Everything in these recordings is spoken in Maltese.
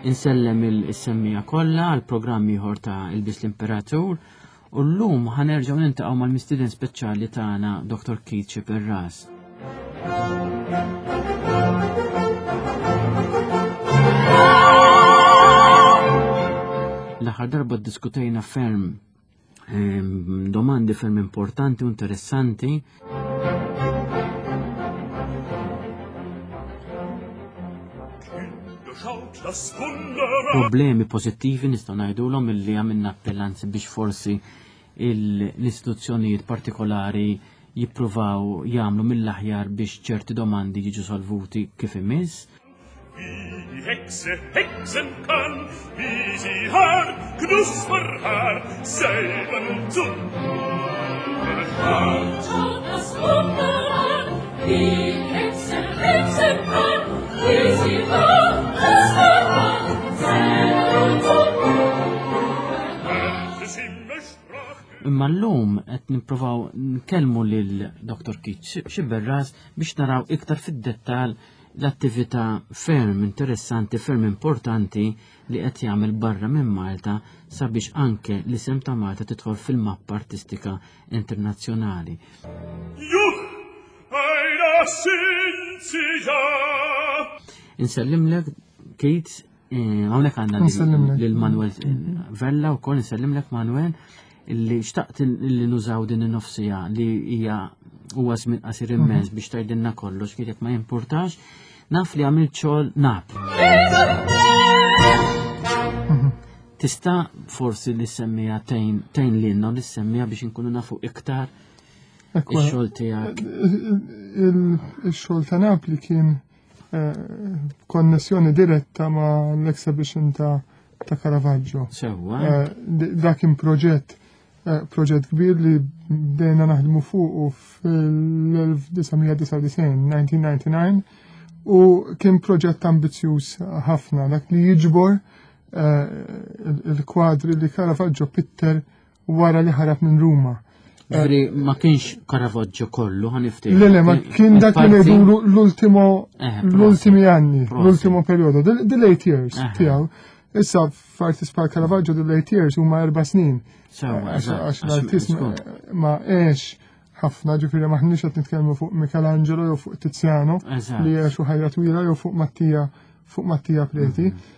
Insellem il-semmija kollha għal programm ieħor ta' Ilbis l-Imperatur u llum ħanerġgħu nintaqgħu mal-mistieden speċjali tagħna Dr. Keith Xiperras. L-aħħar darba ddiskutejna ferm domandi ferm importanti u interessanti. Problemi pożittivi nistgħu ngħidulhom illi għamilna appellanzi biex forsi l-istituzzjonijiet partikolari jippruvaw jagħmlu mill-aħjar biex ċerti domandi jiġu solvuti kif imiss. Wie die Hexe hexen kann, wie sie Haar, Knusper Haar, selber nun zu Schaut das Wunder an, wie die Hexe hexen kann, wie sie Haar, Knusper Haar, selber nun zu Imma llum qed nippruvaw nkellmu lil Dr. Keith Xiberras biex naraw iktar fid-dettall l-attività ferm interessanti, ferm importanti li qed jagħmel barra minn Malta sabiex anke l-isem ta' Malta tidħol fil-mappa artistika internazzjonali. Juh, einer sind sie ja. Insellimlek, Keith, eh, hawnhekk għandna lil Manuel Vella wkoll insellimlek Manuel illi xtaqt li nużaw din in-nofsija li hija huwa żmien qasir mhm. immens biex tgħidilna kollox kif ma jimpurtax, naf li għamilt xogħol nap. Mhm. Tista' forsi li semmija tgħin lilna li semmija biex inkunu nafu iktar ix-xogħol tiegħek. Il-xogħol ta' Napli kien eh, konnessjoni diretta ma' l-exhibition ta' ta' Caravaggio. Sewwa. Eh, dak kien proġett eh, proġett kbir li bdejna naħdmu fuq fil-1999, 1999, u kien proġett ambizzjuż ħafna, dak li jiġbor il-kwadri li Caravaggio pitter wara li ħarab minn Ruma. Ġifieri ma kienx Caravaggio kollu ħaniftehmu. Le le, ma kien dak li ngħidulu l-ultimo eh, l-ultimi anni, l-ultimo periodo, the late years eh. tiegħu. Issa f'artist bħal Caravaggio the late years huma erba' snin. Għax l-artist ma għex ħafna ġifieri maħniex qed nitkellmu fuq Michelangelo jew fuq Tiziano li għexu ħajja twila jew fuq Mattia fuq Mattia Preti. Mhm.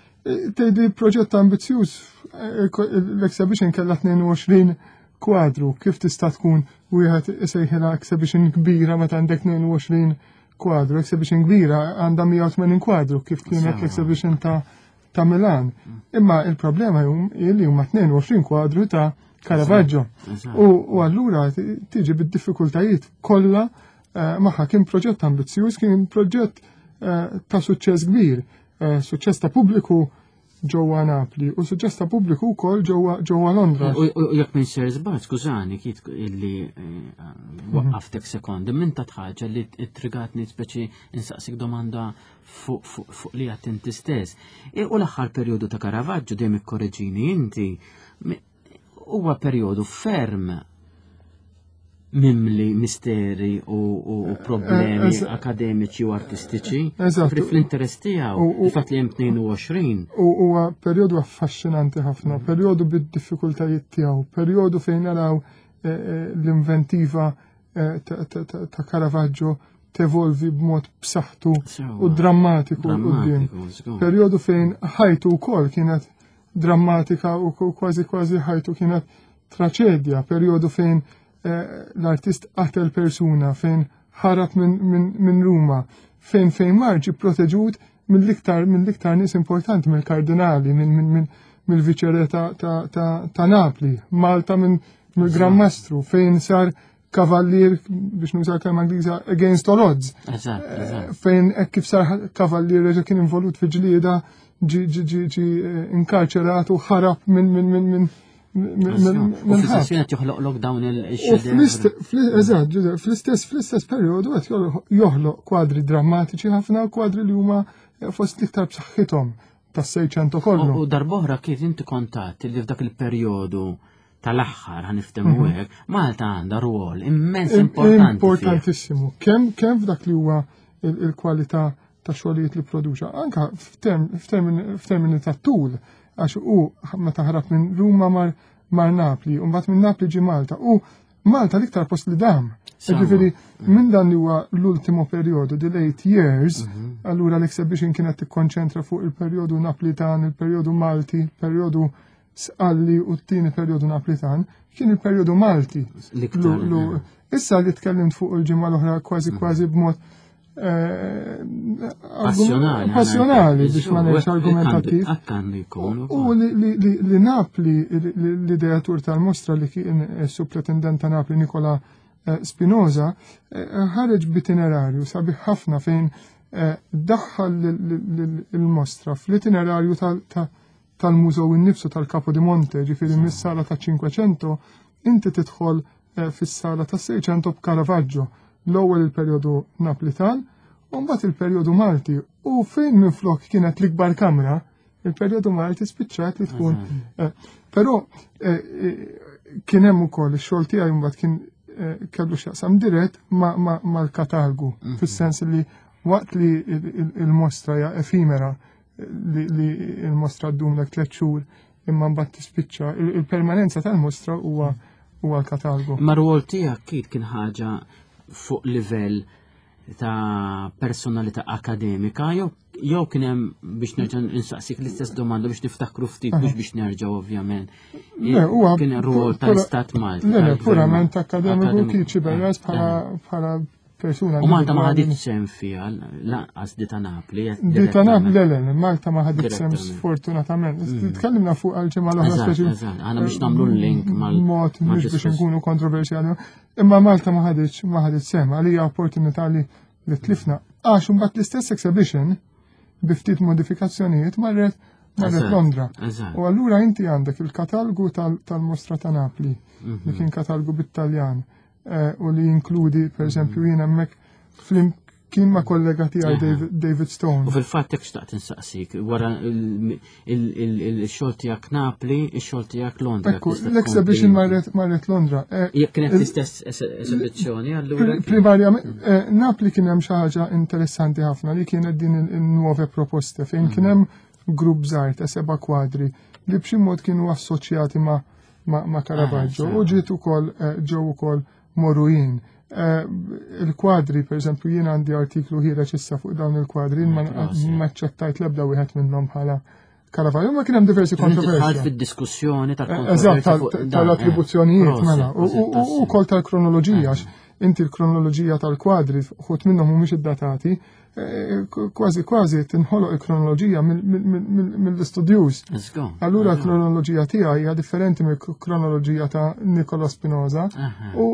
Tgħidli proġett ambizzjuż, eh, l-exhibition kellha 22 kwadru, kif tista' tkun wieħed isejħilha exhibition kbira meta għandek 22 kwadru, exhibition kbira għandha 180 kwadru kif kienet l-exhibition ta' ta' Milan. Mm. Imma il-problema jum li huma 22 kwadru ta' Caravaggio. U allura tiġi bid-diffikultajiet kollha eh, magħha kien proġett ambizzjuż, kien proġett eh, ta' suċċess kbir. Eh, suċċess ta' pubbliku ġewwa Napli u suċċess ta' pubbliku wkoll ġewwa Londra. U jekk minn ser żball, skużani kif illi eh, mhm. waqqaftek sekondi, minn ta' ħaġa li trigatni speċi insaqsik domanda fuq li għat inti stess. E, u l-aħħar perjodu ta' Caravaggio dejjem ikkoreġini inti huwa perjodu ferm mimli misteri u, u, u problemi eh, akademiċi u artistiċi. Eżatt. Fl-interess tiegħu, il-fatt li hemm 22. U huwa perjodu affaxxinanti ħafna, mm. perjodu bid-diffikultajiet tiegħu, perjodu fejn naraw eh, eh, l-inventiva ta' Caravaggio tevolvi b'mod b'saħħtu u drammatiku quddiem. Perjodu fejn ħajtu wkoll kienet drammatika u kważi kważi ħajtu kienet traċedja, perjodu fejn eh, l-artist qatel persuna, fejn ħarab minn Ruma, fejn fejn mar ġi proteġut mill-iktar mill-iktar nies importanti mill-kardinali, mill-viċere ta' Napli, Malta minn mill-Gran Mastru, fejn sar kavallier biex nuża kelma Ingliża against all odds. Eżatt, eh, eżatt. Fejn hekk kif sar kavallier reġa' kien involut fi ġlieda ġi ġi eh, inkarċerat u ħarab minn minn minn minn U fl-istess qed joħloqlok dawn il-xedef. Eżatt, fl-istess fl-istess perjodu qed joħloq kwadri drammatiċi ħafna kwadri li huma fost l-iktar b'saħħithom tas-Seicento kollu. U darbohra kif inti kontat li f'dak il-perjodu tal-aħħar ħaniftemu mhm. hekk, Malta għandha rwol immens importanti. Importantissimu. Kemm kemm f'dak li huwa il-kwalità ta' xogħlijiet li produċa, anka f'termini ta' tul, għax u meta ħarab minn Ruma mar mar Napli, u mbagħad minn Napli ġi Malta. U Malta l-iktar post li dam. Ġifieri minn dan li huwa l-ultimo perjodu, the late years, allura l-exhibition kienet tikkonċentra fuq il-perjodu Naplitan, il-perjodu Malti, il-perjodu Sqalli u t-tieni perjodu Naplitan, kien il-perjodu Malti. Issa li tkellimt fuq il-ġimgħa l-oħra kważi kważi b'mod Passjonali. Passjonali biex ma ngħidx argumentattiv. U li Napli, l-ideatur tal-mostra li kien supretendent ta' Napli Nikola eh, Spinoza, eh, ħareġ b'itinerarju sabiħ ħafna fejn eh, daħħal il-mostra fl-itinerarju tal-mużew innifsu tal-Capo di Monte, ġifieri mis-sala ta' 500 inti tidħol eh, fis-sala ta' 600 b'Caravaggio, l-ewwel il-perjodu Naplitan, u mbagħad il-perjodu Malti. U fejn minflok kienet l-ikbar kamra, il-perjodu Malti spiċċat li tkun. Eh, però eh, kien hemm ukoll ix-xogħol tiegħi mbagħad kien kellu x'jaqsam dirett mal-katalgu, fis-sens li waqt li il-mostra hija efimera li il-mostra ddum lek tliet xhur imma mbagħad tispiċċa il-permanenza tal-mostra huwa huwa l-katalgu. Ma rwol tiegħek kif kien ħaġa fuq livell ta' personalità akademika jew jew kien hemm biex nerġa' insaqsik l-istess domanda biex niftakru ftit mhux biex nerġa' ovvjament. Kien rwol tal-Istat Malti. Le, purament akademiku kien ċiberras bħala persuna. U Malta ma ħadit sem fiha, lanqas di ta' Napli. Di ta' Napli, le, le, Malta ma ħadit sem sfortunatament. Tkellimna fuq għal-ġimgħa l-oħra speċi. Għana biex nagħmlu l-link mal. Mod mhux biex nkunu kontroversjali. Imma Malta ma ħaditx ma ħadit sem għalija opportunità li li tlifna. Għax imbagħad l-istess exhibition bi ftit modifikazzjonijiet marret marret Londra. U allura inti għandek il-katalgu tal-Mostra ta' Napli, li kien katalgu bit-Taljan. Eh, u li jinkludi, per eżempju, jien hemmhekk flimkien ma' kollega tiegħi David Stone. U fil-fatt hekk xtaqt insaqsik, wara il-xogħol tiegħek Napli, ix-xogħol tiegħek Londra. Ekku, l-exhibition marret Londra. Eh, Jekk kienet l-istess esibizzjoni allura. Primarjament, eh, Napli kien hemm xi ħaġa interessanti ħafna li kienet din il-nuove proposte fejn kien hemm grupp żgħir ta' seba' kwadri li b'xi mod kienu assoċjati ma' ma' Caravaggio ah, u ġiet ukoll eh, ġew ukoll morujin. Eh, il-kwadri, per eżempju, jien għandi artiklu ħireġ issa fuq dawn il-kwadri, ma ċettajt l-ebda wieħed minnhom bħala Caravaggio, ma kien hemm diversi kontroversji. fid-diskussjoni tal-kontroversja. Eh, tal-attribuzzjonijiet, mela, u wkoll tal-kronoloġija, inti l-kronoloġija tal-kwadri, ħut minnhom mhumiex iddatati, Eh, kważi kważi tinħoloq il-kronoloġija mill-istudjuż. Allura l-kronoloġija tiegħi hija differenti mill-kronoloġija ta' Nicola Spinoza. U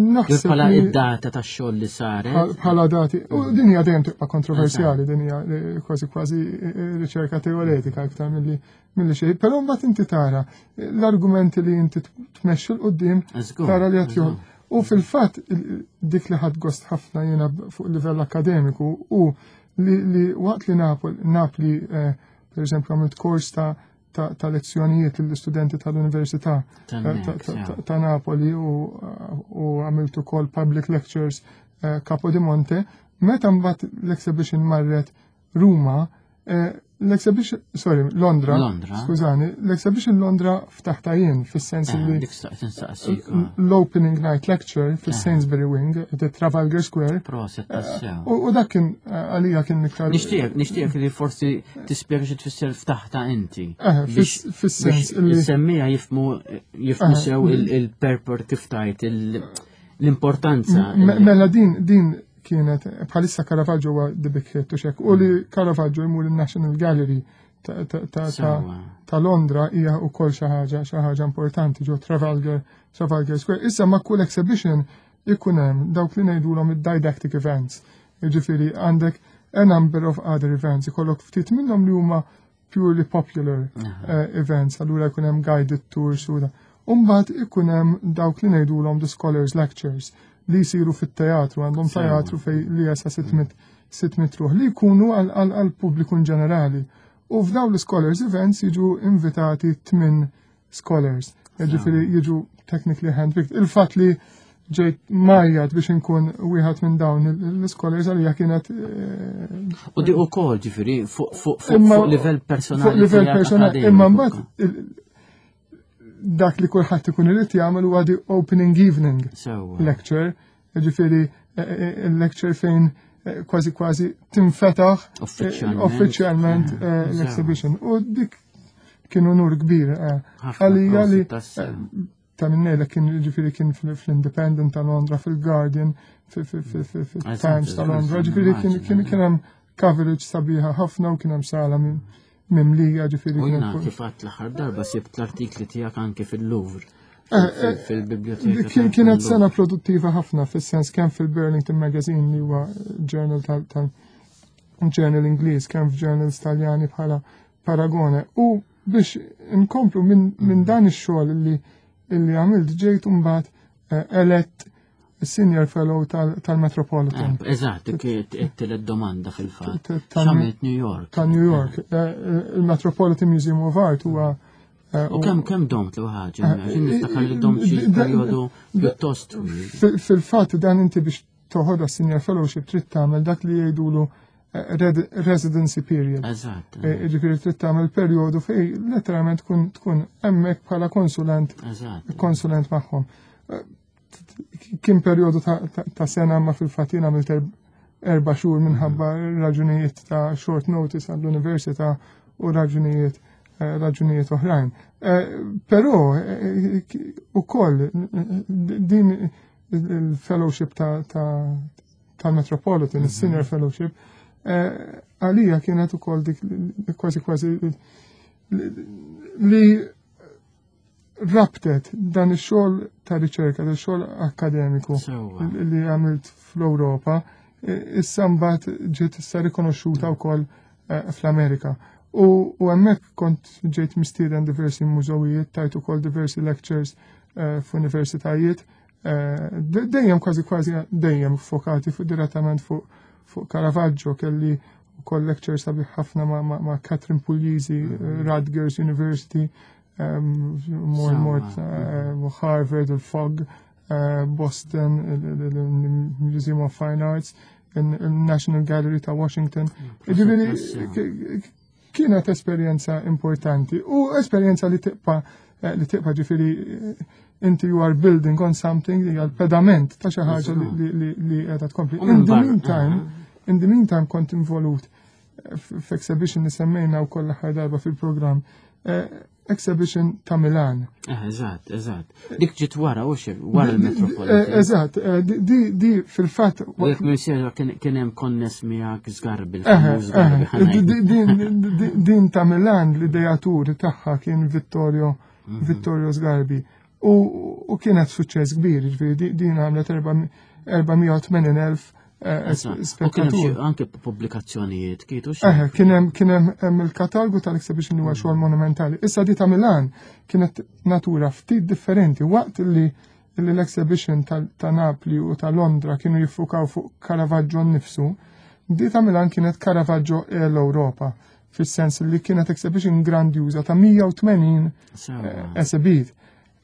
naħseb. Bħala id-data tax-xogħol li saret. Bħala dati. U din hija dejjem tibqa' kontroversjali, din hija eh, kważi kważi eh, riċerka teoretika iktar milli milli xejn. Però mbagħad inti tara l-argumenti li inti tmexxi l-qudiem tara li qed U fil-fatt dik li ħadd gost ħafna jiena fuq livell akademiku u li, li waqt li Napli, eh, per eżempju, għamilt kors ta' ta', ta lezzjonijiet lill-istudenti tal-Università eh, ta', Napoli u, u għamilt ukoll public lectures eh, Capo di Monte, meta mbagħad l-exhibition marret Ruma, eh, l-exhibition, sorry, Londra, Londra. skużani, l-exhibition Londra ftaħta jien fis-sens eh, li l-opening night lecture fis-Sainsbury Wing, the Trafalgar Square. Proset, eh, U dak kien għalija kien iktar. Nixtieq, nixtieq li forsi tispjega xi tfisser ftaħta inti. Fis-sens li. Semmija jifmu jifmu sew il-purport kif tajt l-importanza. Mela din din kienet bħalissa Caravaggio huwa the big hit u xek u li Caravaggio jmur il-National Gallery ta' Londra hija wkoll xi ħaġa xi ħaġa importanti ġo Trafalgar Trafalgar Square. Issa ma' kull exhibition ikun hemm dawk li ngħidulhom id-didactic events. Jiġifieri għandek a number of other events, ikollok ftit minnhom li huma purely popular eh, events, allura jkun hemm guided tours u da. Umbagħad ikun hemm dawk li ngħidulhom the scholars lectures li jsiru fit-teatru, għandhom teatru fej li jasa 600 600 ruħ li jkunu għal pubbliku in ġenerali. U f'dawn l-scholars events jiġu invitati tmin scholars. Jiġifieri jiġu technically handpicked. Il-fatt li ġejt majjat biex inkun wieħed minn dawn l-scholars għalija kienet. Eh, U di ukoll ġifieri fuq livell personali. Fuq livell personali, imma mbagħad dak li kulħadd ikun irid jagħmel huwa di opening evening lecture, ġifieri eh, eh, il-lecture fejn kważi kważi tinfetaħ uffiċjalment l-exhibition. U dik kien unur kbir għalija li ta' minn kien ġifiri kien fl-Independent ta' Londra, fil-Guardian, fil-Times ta' Londra, ġifiri kien kien hemm coverage sabiħa ħafna u kien hemm sala mimlija ġifiri. U jina kif għat l-aħħar darba sibt l-artikli tiegħek anke fil-Louvre. Eh, eh, fil-biblioteka. Kienet sena produttiva ħafna fis-sens kemm fil-Burlington Magazine li huwa journal tal journal Ingliż, kemm f'journals Taljani bħala Paragone. U biex inkomplu minn min dan ix-xogħol li illi għamilt ġejt imbagħad eh, elett senior fellow tal-Metropolitan. Eh, eżatt, it-tielet domanda fil-fatt. X'għamilt New York. Ta' New York. Eh, Il-Metropolitan Museum of Art huwa U kemm kemm domt l ħaġa, niftakar li domt xi perjodu pjuttost Fil-fatt dan inti biex toħodha senior fellowship trid tagħmel dak li jgħidulu eh, residency period. Eżatt. Eh, ġifieri trid tagħmel perjodu fej letteralment tkun tkun hemmhekk bħala konsulent konsulent magħhom. Eh, kien perjodu ta' sena ma fil-fatt jien għamilt erba' xhur minħabba raġunijiet ta' short notice għall-università u raġunijiet raġunijiet oħrajn. Però ukoll din il-fellowship tal-Metropolitan, mhm. il-Senior Fellowship, eh, għalija kienet ukoll dik kważi kważi li rabtet dan ix-xogħol ta' riċerka, dan ix-xogħol akademiku li għamilt fl-Ewropa, eh, issa mbagħad ġiet issa rikonoxxuta wkoll eh, fl-Amerika. U hemmhekk kont ġejt mistieden diversi mużewijiet, tajt ukoll diversi lectures f'universitajiet Eh, dejjem kważi kważi dejjem fokati fuq direttament fuq fuq Caravaggio kelli ukoll lecture sabiħ ħafna ma', ma, ma Catherine Puglisi, mm -hmm. Rutgers University, um, more and more uh, Harvard, il-Fog, uh, Boston, il-Museum of Fine Arts, il-National Gallery ta' Washington. Mm, ġifieri kienet esperjenza importanti u esperjenza li tibqa' eh, li tibqa' ġifieri eh, inti you are building on something li għal pedament ta' xi ħaġa li qiegħda tkompli. In the meantime, in the meantime kont involut eh, f'exhibition li semmejna wkoll l-aħħar darba fil-programm exhibition ta' Milan. Eh, eżatt, eżatt. Dik ġiet wara u xi wara l-Metropolitan. Eh, eżatt, eh, di di fil-fatt. U jekk missier kien hemm konness miegħek żgarbi. Din ta' Milan l-ideatur tagħha kien Vittorio mhm. Vittorio Sgarbi. U kienet suċċess kbir, ġifieri din għamlet 480,000 Eh, spettatur. Anke pubblikazzjonijiet kietu xi. Kien hemm kien hemm il-katalgu tal-exhibition li huwa xogħol monumentali. Issa di ta' Milan kienet natura ftit differenti waqt li l-exhibition ta' Napli u ta' Londra kienu jiffukaw fuq Caravaggio nnifsu, di ta' Milan kienet Caravaggio e l-Ewropa fis-sens li kienet exhibition grandjuża ta' 180 eh, esibit.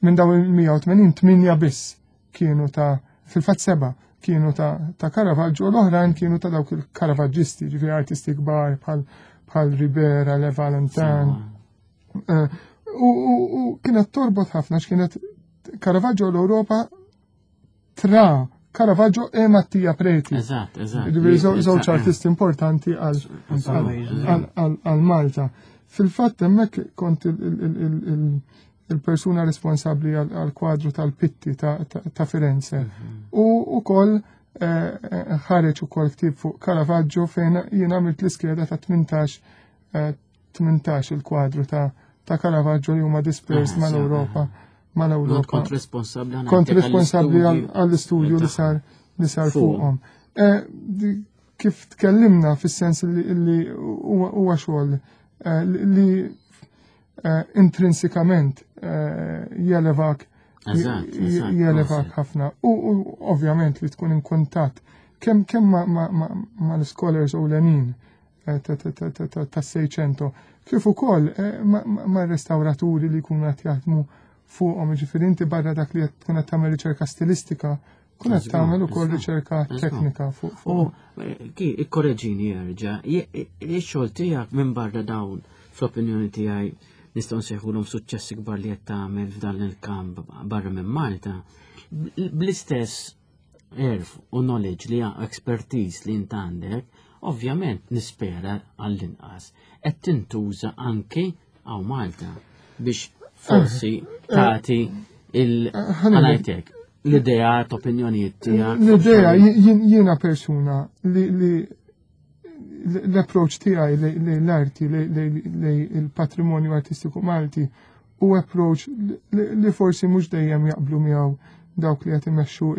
Minn daw il-180 8 biss kienu ta' fil-fatt seba' kienu ta', ta Caravaggio u l-oħrajn kienu ta' dawk il-Caravaggisti, ġifieri artisti kbar bħal bħal Ribera, Le Valentin. Eh, u, u, u kienet torbot ħafna x'kienet Caravaggio l-Ewropa tra Caravaggio e Mattia Preti. Eżatt, eżatt. Ġifieri żewġ artisti importanti għal Malta. Fil-fatt hemmhekk kont il-persuna responsabbli għal kwadru tal-Pitti ta' Firenze. Mhm. U ukoll eh, eh, ħareġ ukoll ktieb fuq Caravaggio fejn jien għamilt l-iskeda ta' 18 18 eh, il-kwadru ta' ta' Caravaggio li huma dispersed ah, mal-Ewropa. Mal-Ewropa. Kont responsabbli Kont responsabbli għall-istudju li sar li sar fuqhom. Kif tkellimna fis-sens li huwa xogħol li intrinsikament jelevak jelevak ħafna. U ovvjament li tkun in kuntatt kemm kemm ma l-scholars ewlenin ta' Seicento, kif ukoll ma' restawraturi li jkunu qed jaħdmu fuqhom, ġifieri inti barra dak li tkun qed tagħmel riċerka stilistika. tkun qed tagħmel ukoll riċerka teknika fuq. U eh, ki ikkoreġini jerġa' ix-xogħol tiegħek minn barra dawn fl-opinjoni tiegħi nistgħu nsejħulhom suċċessi kbar li qed tagħmel f'dan il-kamp barra minn Malta. Bl-istess erf u knowledge li expertise li int għandek, ovvjament nispera għall-inqas qed tintuża anki għaw Malta biex forsi eh, eh, tagħti il-ħanajtek l-idea, opinjonijiet tiegħek. L-idea jiena persuna li l-approach tiegħi li l-arti li il-patrimonju artistiku Malti u approach li forsi mhux dejjem jaqblu miegħu dawk li qed imexxu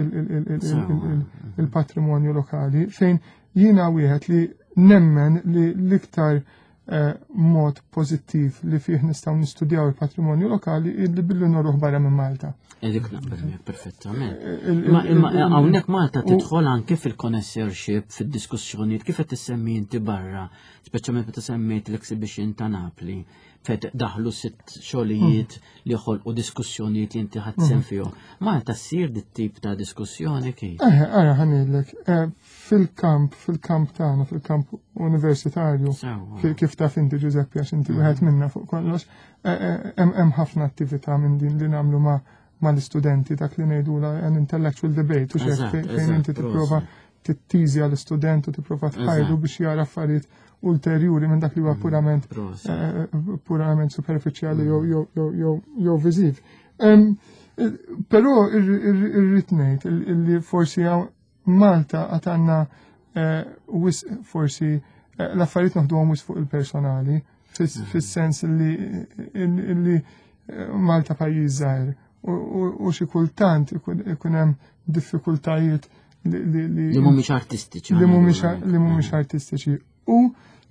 il-patrimonju lokali fejn jiena wieħed li nemmen li l-iktar eh, mod pożittiv li fih nistgħu nistudjaw il-patrimonju lokali illi billi norruħ barra minn Malta. Edik naqbel miegħek perfettament. Imma eh, hawnhekk Malta tidħol anke fil-connoisseurship, fid-diskussjonijiet kif qed tissemmi inti barra, speċjalment meta semmejt l-exhibition ta' Napli, fejn daħlu sitt xogħlijiet hmm. li ħolqu diskussjonijiet li inti ħadd sem hmm. fihom. Malta ssir dit tip ta' diskussjoni kif? Eh, ara ħanilek, eh, fil-kamp, fil-kamp tagħna, fil-kamp universitarju, kif taf inti Giuseppe għax inti wieħed mm. minna fuq kollox, eh, eh, hemm ħafna attività minn din li nagħmlu ma' mal-istudenti dak li ngħidula an intellectual debate u fejn inti tipprova tittiżja l-istudent u tipprova tħajru biex jara affarijiet ulterjuri minn dak li huwa mm, purament eh, purament superfiċjali jew mm. jew viżiv. Però irrid ngħid li forsi Malta għad għandna eh, wisq forsi eh, l-affarijiet noħduhom wisq fuq il-personali, mhm. fis-sens li eh, Malta pajjiż żgħir u xi kultant ikun hemm diffikultajiet li li mhumiex artistiċi. Li mhumiex mhm. artistiċi. U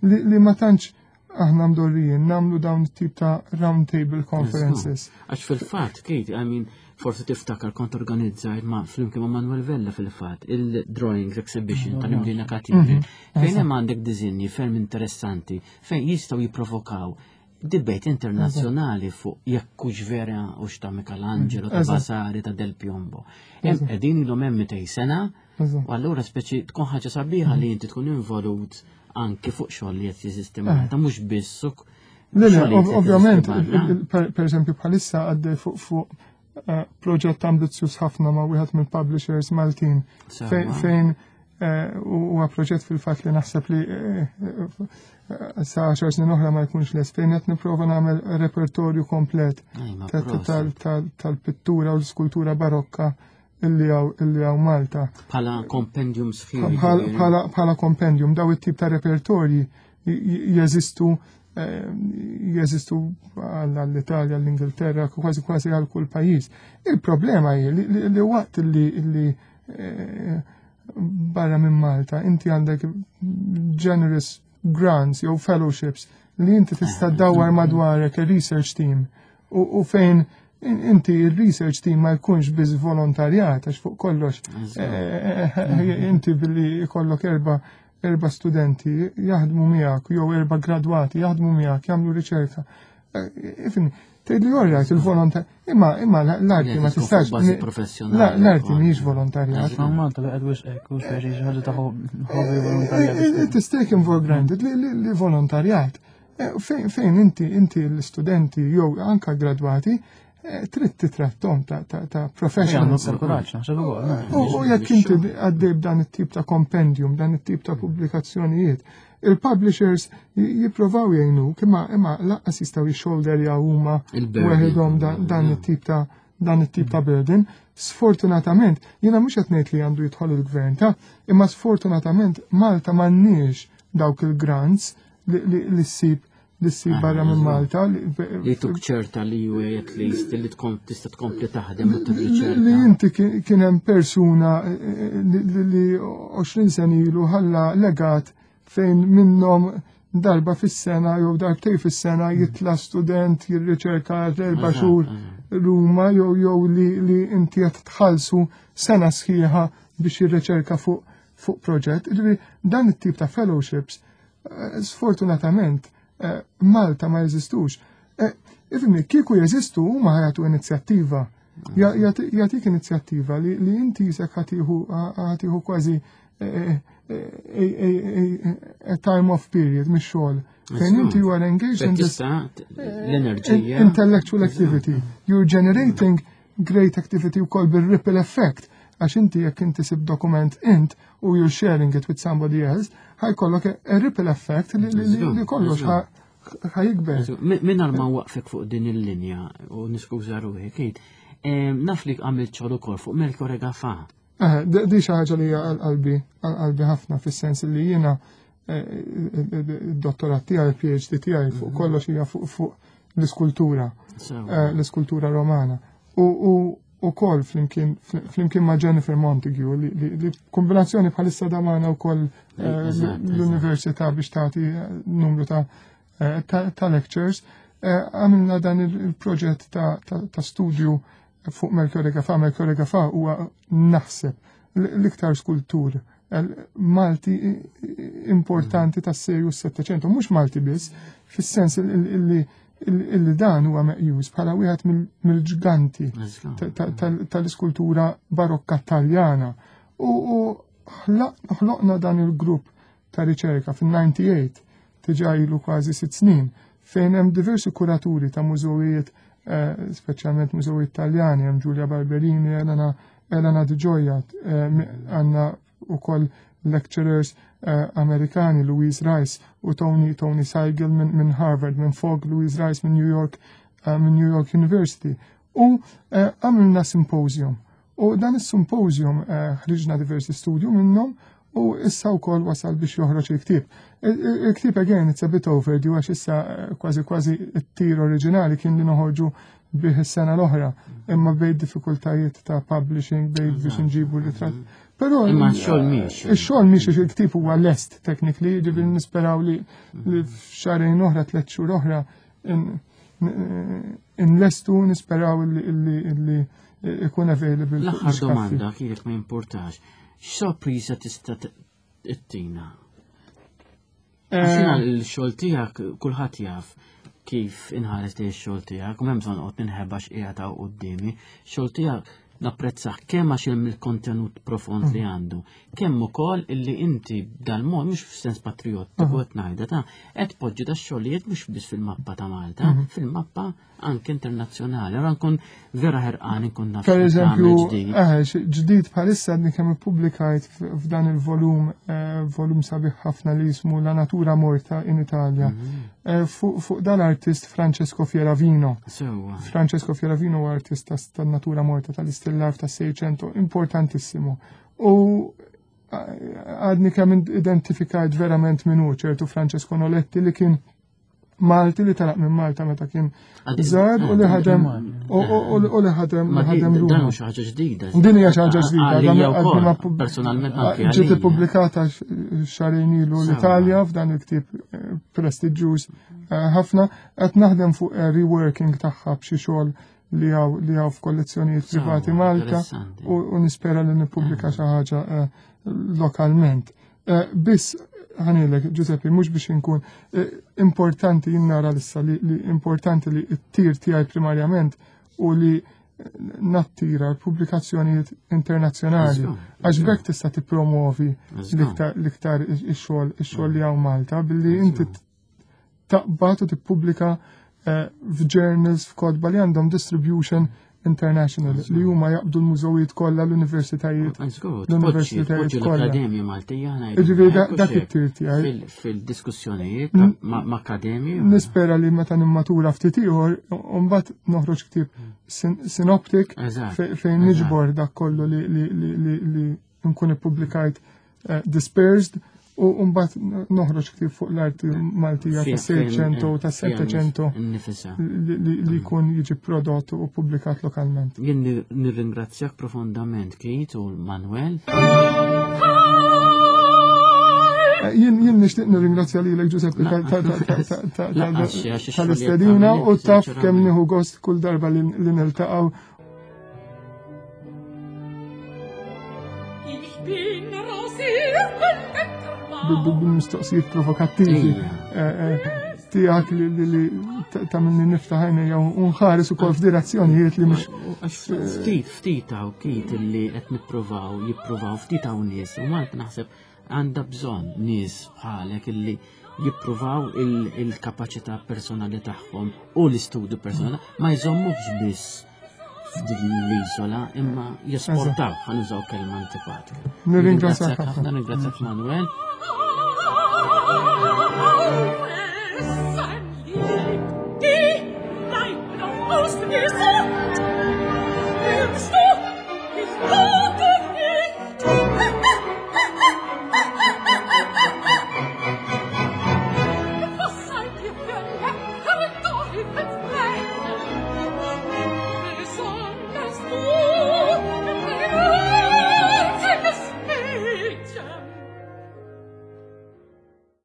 li ma tantx aħna mdorrijin namlu dawn it-tip ta' round table conferences. Għax fil-fatt, Kate, I mean, forsi tiftakar kont organizzajt ma' flimkien ma' Manuel Vella fil-fatt il-drawings exhibition tal-Imdina Katidri. Mhm. Fejn hemm għandek dizinji ferm interessanti fejn jistgħu jipprovokaw debate internazzjonali fuq jekk hux vera u ta' Michelangelo, ta' Vasari, ta' Del Piombo. Hemm qegħdin ilhom hemm 200 sena U allura speċi tkun ħaġa sabiħa li inti tkun involut anki fuq xogħol li qed jeżisti Malta, mhux biss suk. Le, ovvjament, per eżempju bħalissa għaddej fuq fuq eh, proġett ambizzjuż ħafna ma' wieħed mill-publishers Maltin fejn eh, huwa proġett fil-fatt li naħseb li eh, sa 10 snin oħra ma jkunx lest fejn qed nipprova nagħmel repertorju komplet tal-pittura u l-skultura barokka illi għaw illi għaw Malta. Bħala kompendium sħiħ. Bħala kompendium, daw it-tip ta' repertorji jeżistu eh, jeżistu għall-Italja, għall-Ingilterra, kważi kważi għal kull pajjiż. Il-problema hi li waqt li eh, barra minn Malta inti għandek generous grants jew fellowships li inti tista' eh, dawar madwarek il-research team u fejn inti il-research team ma jkunx biss volontarjat għax fuq kollox eh, eh, eh, inti billi jkollok erba erba studenti jaħdmu miegħek jew erba gradwati jaħdmu miegħek jagħmlu riċerka. Ifni, tgħid li orjajt il-volontar, imma imma l-arti ma tistax. L-arti mhijiex volontarjat. Malta li qed wisq hekk u xi ħaġa ta' hobby volontarjat. It is taken for granted li volontarjat. Eh, fejn inti inti l-istudenti jew anka gradwati eh, trid titrattom ta', ta, ta professionals. U jekk inti għaddej b'dan it-tip ta' kompendium, dan it-tip ta' pubblikazzjonijiet, il-publishers jipprovaw jgħinu imma imma laqqas jistgħu jixxolderjaw huma weħidhom dan it-tip ta' dan it-tip ta' burden. Sfortunatament, jiena mhux qed ngħid li għandu jidħol il-gvern ta' imma sfortunatament Malta m'għandniex dawk il-grants li ssib li ssib ah, barra minn Malta. Li tuk ċerta li ju at least li tkun tista' tkompli taħdem u tirriċerka. Li inti kien hemm persuna eh, eh, li 20 sen ilu ħalla legat fejn minnhom darba fis-sena jew darbtej fis-sena mm. jitla student jirriċerka erba' xhur Ruma jew jew li inti qed tħallsu sena sħiħa biex jirriċerka fuq fuq proġett. Ġifieri dan it-tip ta' fellowships eh, sfortunatament eh, Malta ma jeżistux. Eh, ifimni, kieku jeżistu huma ħajatu inizjattiva. Jagħtik inizjattiva li inti jisek ħatiħu kważi eh, eh, a time off period mix-xogħol. Fejn inti you are engaged in this l-enerġija. Intellectual activity. You're generating great activity wkoll bil-ripple effect għax inti jekk inti sib dokument int u you're sharing it with somebody else, ħajkollok a ripple effect li kollox ħajikber. Minnar ma waqfek fuq din il-linja u niskuża ruħi, Kate, naf li għamilt xogħol ukoll fuq Melchior Gafa. Eh, di xi ħaġa li hija għal-qalbi, għal-qalbi ħafna fis-sens li jiena eh, id-dottorat tiegħi, il-PhD tiegħi fuq mhm. kollox hija fuq l-iskultura, eh, l-iskultura romana. U u kol flimkien ma' Jennifer Montague li kombinazzjoni bħalissa da magħna wkoll l-università biex tagħti numru ta' ta' lectures, għamilna dan il-proġett ta' studju fuq Melchiorre Gafà. Melchiorre Gafà huwa naħseb l-iktar skultur Malti importanti tas-serju s-700, mhux Malti biss, fis-sens illi illi dan huwa meqjus bħala wieħed mill-ġganti tal-iskultura barokka taljana. U ħloqna dan il-grupp ta' riċerka fin-98 diġà ilu kważi sitt snin fejn hemm diversi kuraturi ta' mużewijiet eh, speċjalment mużewijiet Taljani, hemm Giulia Barberini, Elena Elena Di Gioia, eh, għandna ukoll lecturers eh, Amerikani Louise Rice u Tony Tony Seigel minn min Harvard, minn Fogg Louise Rice minn New York minn New York University. U għamilna symposium. U dan is-symposium ħriġna diversi studju minnhom u issa wkoll wasal biex joħroġ il-ktieb. Il-ktieb again it's a bit overdue għax issa eh, kważi kważi it-tir oriġinali kien li noħorġu bih is-sena l-oħra, imma bejn diffikultajiet ta' publishing, bejn biex nġibu ritratt. Però imma x-xogħol mhix. Ix-xogħol mhix il-ktieb huwa lest technically, ġifieri nisperaw li f'xahrejn oħra, tliet xhur oħra inlestu nisperaw li ikun available. L-aħħar domanda kif ma importax. X'sorpriża tista' ttina? Għaxina eh. l-xogħol tiegħek kulħadd jaf kif inħares li x-xogħol tiegħek u m'hemm bżonn qod ninħeba x'qiegħed hawn quddiemi. Xogħol tiegħek napprezzah kemm għax il-kontenut profond li mm. għandu, kemm ukoll illi inti dal-mod mhux f'sens patriottiku mm. qed ngħidha ta' qed poġġi da xogħlijiet mhux biss fil-mappa ta' Malta, mm. fil-mappa anke internazzjonali. Allora nkun vera ħerqan nkun naf. Per eżempju, eh, ġdid bħalissa għadni kemm ippubblikajt f'dan il-volum, eh, volum sabiħ ħafna li jismu La Natura Morta in Italia, mhm. eh, fuq dan artist Francesco Fieravino. Francesco Fieravino huwa artist tan-natura morta tal-istillar tas-600 importantissimu. U għadni kemm identifikajt verament minnu ċertu Francesco Noletti li kien Malti li telaq minn Malta meta kien żgħar u li ħadem u li ħadem li ħadem Dan xi ħaġa ġdida. Din hija xi ħaġa ġdida. Personalment anke. Ġiet ippubblikata xahrejn ilu l-Italja f'dan il-ktieb eh, prestiġjuż eh, ħafna qed naħdem fuq eh, reworking tagħha b'xi xogħol li hawn li hawn f'kollezzjonijiet privati Malta u nispera li nippubblika xi ħaġa lokalment. Eh, biss ħanilek, Giuseppe, mhux biex inkun eh, importanti jinnara lissa li, li importanti li t-tir tiegħi primarjament u li eh, nattira l-pubblikazzjonijiet internazzjonali għax bekk tista' tippromovi l-iktar ix-xogħol ix-xogħol li hawn Malta billi inti taqbad u tippubblika eh, f'journals f'kotba li għandhom distribution international li huma jaqbdu l-mużewijiet kollha l-universitajiet. L-universitajiet kollha. L-Akademja Maltija Ġifieri dak it-tir tiegħi. Fil-diskussjonijiet ma' akademji. Nispera li meta nimmatura ftit ieħor mbagħad noħroġ ktieb synoptic fejn niġbor dak kollu li nkun ippubblikajt eh, dispersed u mbagħad noħroġ ktieb fuq l-arti Maltija ta' 600 u ta' 700 li jkun jiġi prodott u pubblikat lokalment. Jien nirringrazzjak profondament Kate u Manuel. Eh, jien jien nixtieq nirringrazzja lilek Giuseppe tal-istedina u taf kemm nieħu gost kull darba li niltaqgħu bil-mistoqsijiet provokattivi. Eh, eh. tiegħek li ta' minni niftaħ għajnejja u nħares ukoll f'direzzjonijiet li mhux. Ftit, ftit hawn kit li qed nippruvaw, jippruvaw ftit hawn nies u Malta naħseb għandha bżonn nies bħalek illi jippruvaw il-kapaċità personali tagħhom u l-istudju personali ma jżommux biss f'din l-isola imma jesportaw ħanużaw kelma antipatika. Nirringrazzjak ħafna, nirringrazzjak Manuel.